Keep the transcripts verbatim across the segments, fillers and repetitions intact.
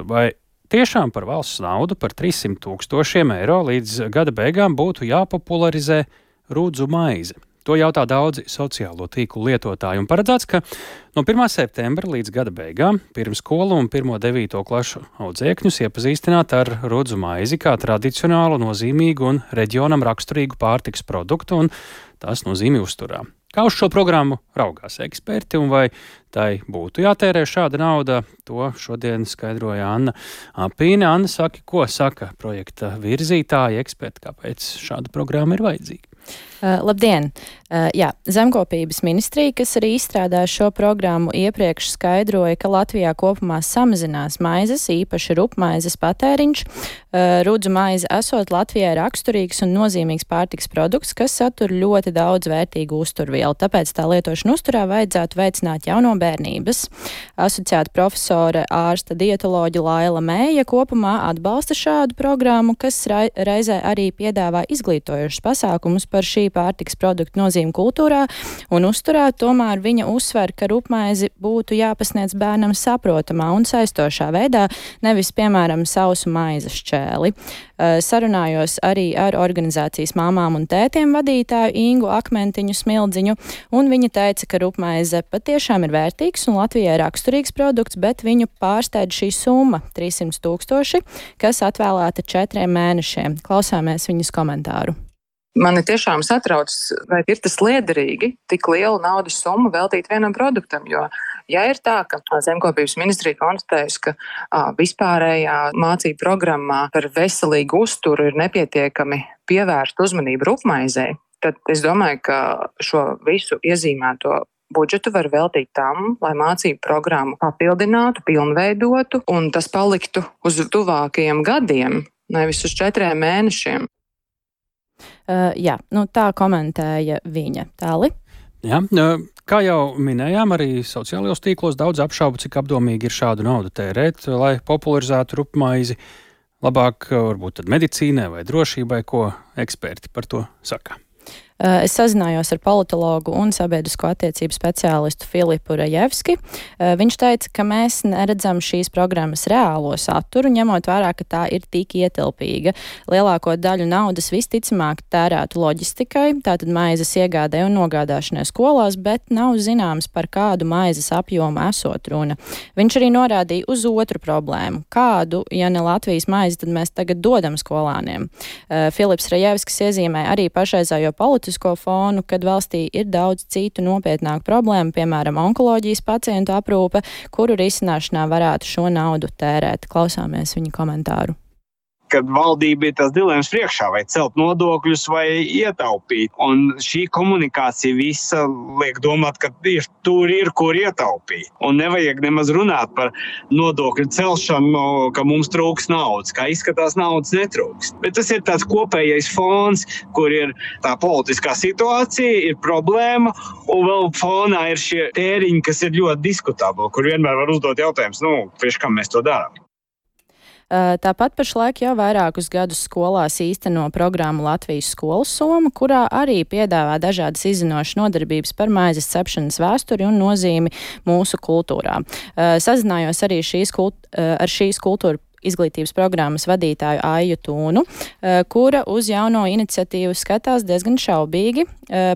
Vai tiešām par valsts naudu par trīssimt tūkstošiem eiro līdz gada beigām būtu jāpopularizē rudzu maize? To jautā daudzi sociālo tīklu lietotāji un paredzēts, ka no pirmā septembra līdz gada beigām pirmskolu un pirmo devīto klašu audzēkņus iepazīstināt ar rudzu maizi kā tradicionālu, nozīmīgu un reģionam raksturīgu pārtikas produktu un tās nozīmi uzturā. Kā uz šo programmu raugās eksperti un vai tai būtu jātērē šāda nauda, to šodien skaidroja Anna Apīne. Anna, saki, ko saka projekta virzītāji, eksperti, kāpēc šāda programma ir vajadzīga? Uh, labdien! Uh, jā, Zemkopības ministrija, kas arī izstrādāja šo programmu, iepriekš skaidroja, ka Latvijā kopumā samazinās maizes, īpaši rupmaizes patēriņš. Uh, rudzu maize esot Latvijai raksturīgs un nozīmīgs pārtiks produkts, kas satur ļoti daudz vērtīgu uzturvielu, tāpēc tā lietošana uzturā vajadzētu veicināt jau no bērnības. Asociēta profesore ārsta dietoloģa Laila Mēja kopumā atbalsta šādu programmu, kas reizē arī piedāvā izglītojošus pasākumus par šī pārtiks produktu nozīmi kultūrā un uzturā, tomēr viņa uzsver, ka rupmaizi būtu jāpasniedz bērnam saprotamā un saistošā veidā, nevis, piemēram, sausu maizes šķēli. Sarunājos arī ar organizācijas māmām un tētiem vadītāju Ingu Akmentiņu Smildziņu, un viņa teica, ka rupmaize patiešām ir vērtīgs un Latvijai raksturīgs produkts, bet viņu pārsteidz šī summa - trīssimt tūkstoši, kas atvēlēta četriem mēnešiem. Klausāmies viņas komentāru. Mani tiešām satrauc, vai ir tas liederīgi tik lielu naudas summu veltīt vienam produktam, jo, ja ir tā, ka Zemkopības ministrija konstatējusi, ka a, vispārējā mācību programmā par veselīgu uzturu ir nepietiekami pievērst uzmanību rupmaizei, tad es domāju, ka šo visu iezīmēto budžetu var veltīt tam, lai mācību programmu papildinātu, pilnveidotu, un tas paliktu uz tuvākajiem gadiem, nevis uz četriem mēnešiem. Uh, jā, nu tā komentēja viņa. Tāli? Jā, kā jau minējām, arī sociālajos tīklos daudz apšaubu, cik apdomīgi ir šādu naudu tērēt, lai popularizētu rupmaizi. Labāk varbūt tad medicīnai vai drošībai, ko eksperti par to saka. Es sazinājos ar politologu un sabiedrisko attiecību speciālistu Filipu Rajevski. Viņš teica, ka mēs neredzam šīs programmas reālo saturu, ņemot vērā, ka tā ir tik ietilpīga. Lielāko daļu naudas visticamāk tērētu loģistikai, tātad maizes iegādē un nogādāšanai skolās, bet nav zināms, par kādu maizes apjomu esot runa. Viņš arī norādīja uz otru problēmu. Kādu, ja ne Latvijas maizi, tad mēs tagad dodam skolāniem. Filips Rajevskis iezīmē arī pašreizējo politisko fonu, kad valstī ir daudz citu nopietnāku problēmu, piemēram, onkoloģijas pacientu aprūpe, kuru risināšanā varētu šo naudu tērēt. Klausāmies viņa komentāru. Kad valdība ir tas dilemmas priekšā, vai celt nodokļus, vai ietaupīt. Un šī komunikācija visa liek domāt, ka tieši tur ir, kur ietaupīt. Un nevajag nemaz runāt par nodokļu celšanu, ka mums trūks naudas. Kā izskatās, naudas netrūks. Bet tas ir tāds kopējais fons, kur ir tā politiskā situācija, ir problēma, un vēl fonā ir šie tēriņi, kas ir ļoti diskutabli, kur vienmēr var uzdot jautājums, nu, priekš kam mēs to darām. Tāpat pašlaik jau vairākus gadus skolās īsteno programmu Latvijas skolu soma, kurā arī piedāvā dažādas izzinošas nodarbības par maizes cepšanas vēsturi un nozīmi mūsu kultūrā. Sazinājos arī šīs kult, ar šīs kultūra izglītības programmas vadītāju Aiju Tūnu, kura uz jauno iniciatīvu skatās diezgan šaubīgi.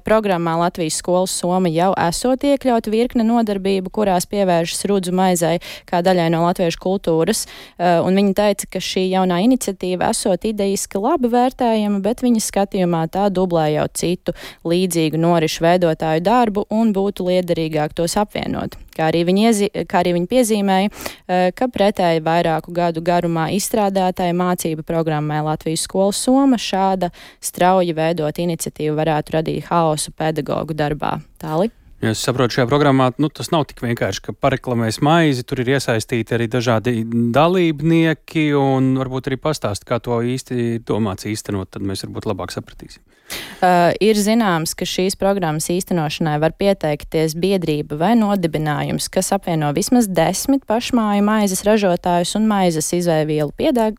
Programmā Latvijas skolas soma jau esot iekļauta virkne nodarbību, kurās pievēršas rudzu maizei kā daļai no latviešu kultūras, un viņa teica, ka šī jaunā iniciatīva esot idejiski labi vērtējama, bet viņas skatījumā tā dublē jau citu līdzīgu norišu veidotāju darbu un būtu liederīgāk tos apvienot. Kā arī viņi, iezi, kā arī viņi piezīmēja, ka pretēji vairāku gadu garumā izstrādātāja mācību programmai Latvijas skolas soma šāda strauji veidot iniciatīvu varētu radīt haosu pedagogu darbā. Tāli? Ja es saprotu, šajā programmā nu, tas nav tik vienkārši, ka pareklamēs maizi, tur ir iesaistīti arī dažādi dalībnieki un varbūt arī pastāst, kā to īsti domāts īstenot, tad mēs varbūt labāk sapratīsim. Uh, ir zināms, ka šīs programmas īstenošanai var pieteikties biedrība vai nodibinājums, kas apvieno vismaz desmit pašmāju maizes ražotājus un maizes izēvielu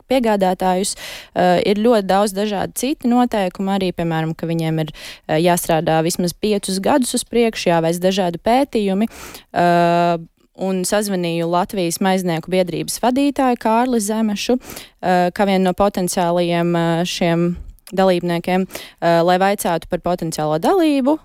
piegādātājus. Uh, ir ļoti daudz dažādi citi noteikumi, arī, piemēram, ka viņiem ir uh, jāstrādā vismaz piecus gadus uz priekšu, jāveic dažādi pētījumi. Uh, un sazvanīju Latvijas maiznieku biedrības vadītāju Kārli Zemešu, kā vienu no potenciālajiem šiem dalībniekiem, lai vaicātu par potenciālo dalību,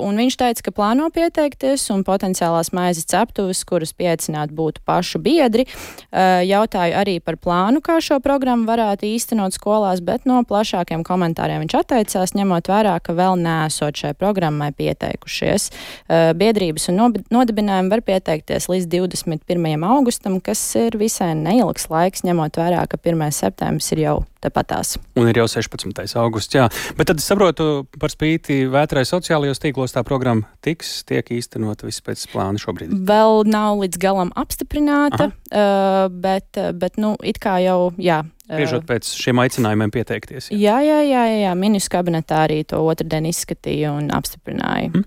un viņš teica, ka plāno pieteikties un potenciālās maizes ceptuves, kuras pieaicināt būtu pašu biedri. Jautāju arī par plānu, kā šo programmu varētu īstenot skolās, bet no plašākiem komentāriem viņš atteicās, ņemot vērā, ka vēl neesot šai programmai pieteikušies. Biedrības un nodibinājumi var pieteikties līdz divdesmit pirmajam augustam, kas ir visai neilgs laiks, ņemot vērā, ka pirmais septembris ir jau tepatās. Un ir jau sešpadsmitais augusts, jā. Bet tad es saprotu, par spīti vētrai sociālajos tīklos tā programma tiks, tiek īstenot viss pēc plāna šobrīd. Vēl nav līdz galam apstiprināta, uh, bet, bet, nu, it kā jau, jā. Spriežot pēc šiem aicinājumiem pieteikties. Jā, jā, jā, jā, jā. Ministru kabinetā arī to otrdien izskatīja un apstiprināja. Mm.